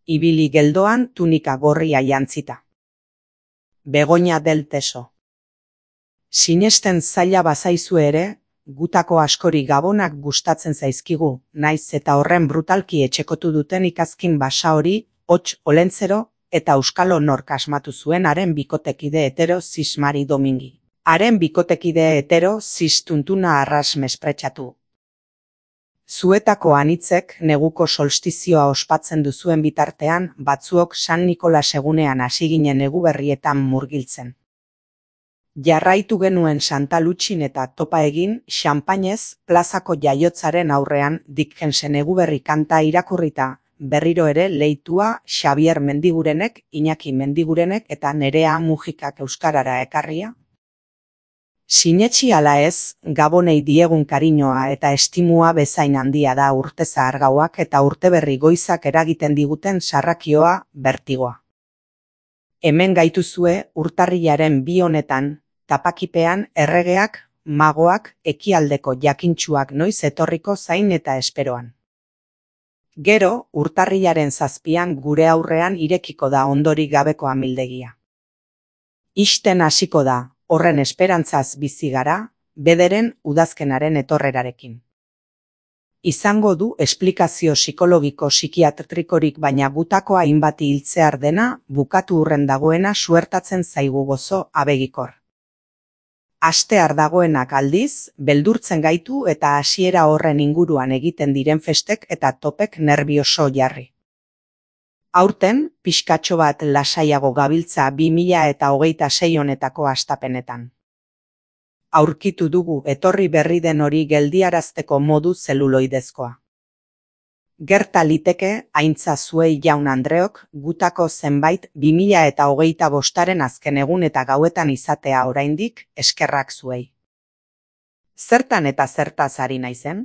ibili geldoan tunika gorria jantzita. Begoña del Teso. Sinesten zaila bazaizu ere, gutako askori gabonak gustatzen zaizkigu, naiz eta horren brutalki etxekotu duten ikazkin basa hori, hots olentzero, eta euskalo nork asmatu zuen haren bikotekide hetero zis Mari Domingi. Haren bikotekide hetero zis tuntuna arras mespretxatu. Zuetako anitzek neguko solstizioa ospatzen duzuen bitartean, batzuok San Nikolas egunean hasi ginen eguberrietan murgiltzen. Jarraitu genuen Santa Lutxin eta topa egin, xanpainez, plazako jaiotzaren aurrean Dickensen eguberri kanta irakurrita, berriro ere leitua Xabier Mendigurenek, Iñaki Mendigurenek eta Nerea Mujikak euskarara ekarria. Sinetsi ala ez, Gabonei diegun kariñoa eta estimua bezain handia da urte zahargauak eta urteberri goizak eragiten diguten sarrakioa, bertigoa. Hemen gaituzue urtarrilaren 2 honetan, tapakipean erregeak, magoak, ekialdeko jakintsuak noiz etorriko zain eta esperoan. Gero, urtarrilaren 7 gure aurrean irekiko da ondorik gabeko amildegia. Ixten hasiko da, horren esperantzaz bizi gara, bederen udazkenaren etorrerarekin. Izango du esplikazio psikologiko psikiatrikorik baina gutako hainbati hiltzear dena, bukatu hurren dagoena suertatzen zaigu gozo abegikor. Astear dagoenak aldiz, beldurtzen gaitu eta hasiera horren inguruan egiten diren festek eta topek nerbioso jarri. Aurten, pixkatxo bat lasaiago gabiltza 2026 honetako hastapenetan. Aurkitu dugu etorri berri den hori geldiarazteko modu zeluloidezkoa. Gerta liteke, Aintza Zuei jaun Andreok, gutako zenbait 2025aren azken egun eta gauetan izatea oraindik, eskerrak zuei. Zertan eta zertaz ari naizen?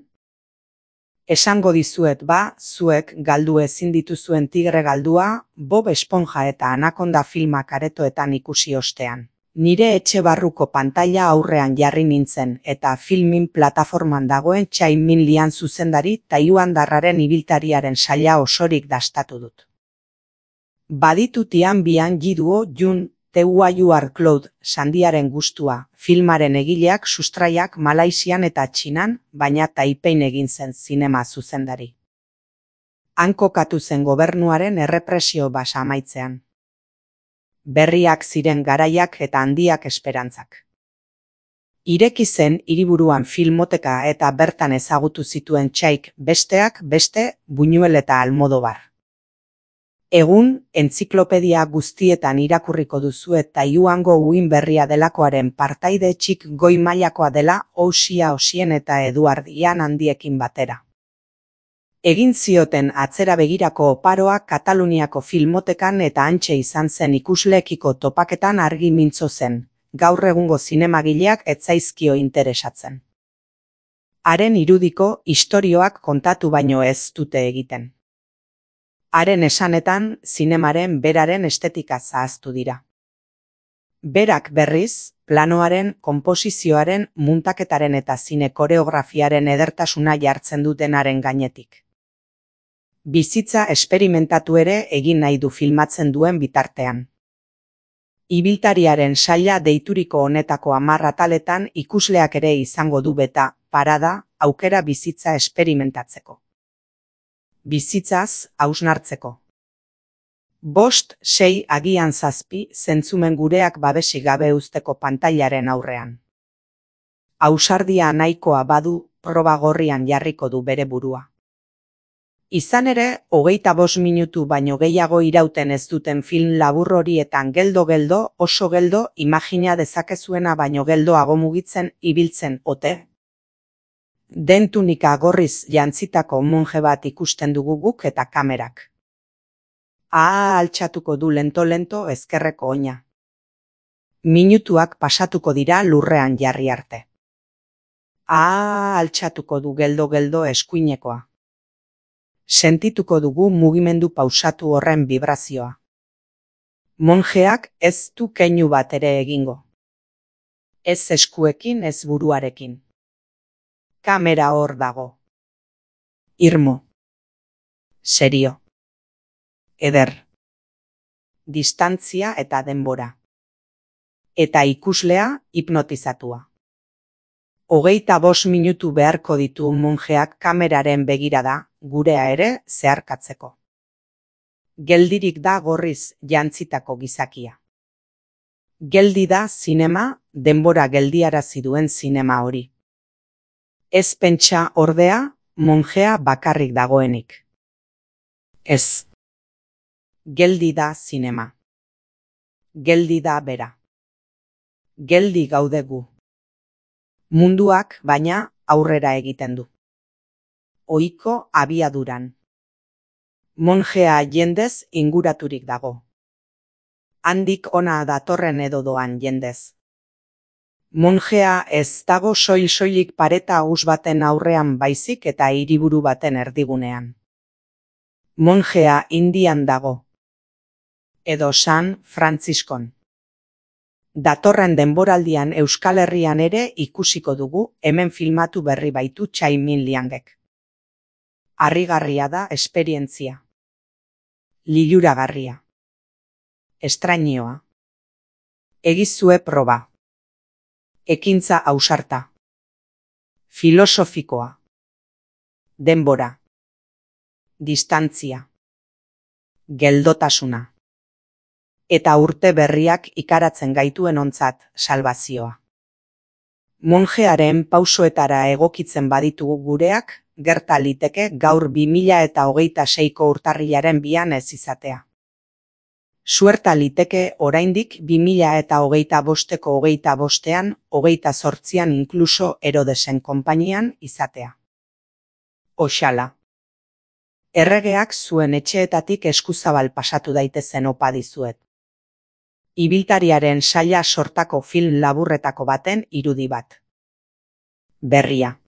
Esango dizuet zuek galdu ezin dituzuen Tigre galdua, Bob Esponja eta Anaconda filmak aretoetan ikusi ostean. Nire etxe barruko pantaila aurrean jarri nintzen eta filmin plataforman dagoen Tsai Min Lian zuzendari taiwandarraren ibiltariaren saila osorik dastatu dut. Baditu Tian Bian Jiduo Jun, You Are Cloud, Sandiaren gustua, filmaren egileak sustraiak Malaisian eta Txinan, baina Taipein egin zen zinema zuzendari. Han kokatu zen gobernuaren errepresio basa amaitzean. Berriak ziren garaiak eta handiak esperantzak. Ireki zen hiriburuan filmoteka eta bertan ezagutu zituen Tsaik besteak beste Buñuel eta Almodovar. Egun, entziklopedia guztietan irakurriko duzue Taiwango uin berria delakoaren partaide txik goi mailakoa dela Ousia Osien eta Eduard Ian handiekin batera. Egin zioten atzera begirako oparoa Kataluniako filmotekan eta hantxe izan zen ikusleekiko topaketan argi mintzo zen, gaur egungo zinemagileak ez zaizkio interesatzen. Haren irudiko istorioak kontatu baino ez dute egiten. Haren esanetan, zinemaren beraren estetika zahaztu dira. Berak berriz, planoaren, konposizioaren, muntaketaren eta zine koreografiaren edertasuna jartzen dutenaren gainetik. Bizitza esperimentatu ere egin nahi du filmatzen duen bitartean. Ibiltariaren saila deituriko honetako 10 ataletan ikusleak ere izango du beta, parada, aukera bizitza esperimentatzeko. Bizitzaz hausnartzeko. 5, 6, agian 7 zentzumen gureak babesik gabe uzteko pantailaren aurrean. Ausardia nahikoa badu, proba gorrian jarriko du bere burua. Izan ere, 25 minutu baino gehiago irauten ez duten film labur horietan geldo oso geldo imagina dezakezuena baino geldoago mugitzen ibiltzen ote. Den tunika gorriz jantzitako monje bat ikusten dugu guk eta kamerak. Altxatuko du lento ezkerreko oina. Minutuak pasatuko dira lurrean jarri arte. Altxatuko du geldo eskuinekoa. Sentituko dugu mugimendu pausatu horren vibrazioa. Monjeak ez du keinu bat ere egingo. Ez eskuekin ez buruarekin. Kamera hor dago. Irmo. Serio. eder. Distantzia eta denbora. Eta ikuslea hipnotizatua. 25 minutu beharko ditu monjeak kameraren begirada, gurea ere zeharkatzeko. Geldirik da gorriz jantzitako gizakia. Geldi da zinema, denbora geldiarazi duen zinema hori. Ez pentsa ordea, monjea bakarrik dagoenik. Ez. Geldi da zinema. Geldi da bera. Geldi gaude gu. Munduak, baina, aurrera egiten du. Ohiko abiaduran. Monjea jendez inguraturik dago. Handik ona datorren edo doan jendez. Monjea ez dago soil-soilik pareta haus baten aurrean baizik eta hiriburu baten erdigunean. Monjea Indian dago. Edo San Frantziskon. Datorren denboraldian Euskal Herrian ere ikusiko dugu hemen filmatu berri baitu Tsai Min-liangek. Harrigarria da esperientzia. Liluragarria. Estrainioa. Egizue proba. Ekintza ausarta. Filosofikoa. Denbora. Distantzia. Geldotasuna. Eta urte berriak ikaratzen gaituen ontzat salbazioa. Monjearen pausoetara egokitzen baditugu gureak, gerta liteke gaur 2026ko urtarrilaren 2 ez izatea. Suerta liteke oraindik 2025ko 25ean, 28ean inkluso Herodesen konpainian izatea. Oxala. Erregeak zuen etxeetatik eskuzabal pasatu daitezen opa dizuet. Ibiltariaren saila sortako film laburretako baten irudi bat. Berria.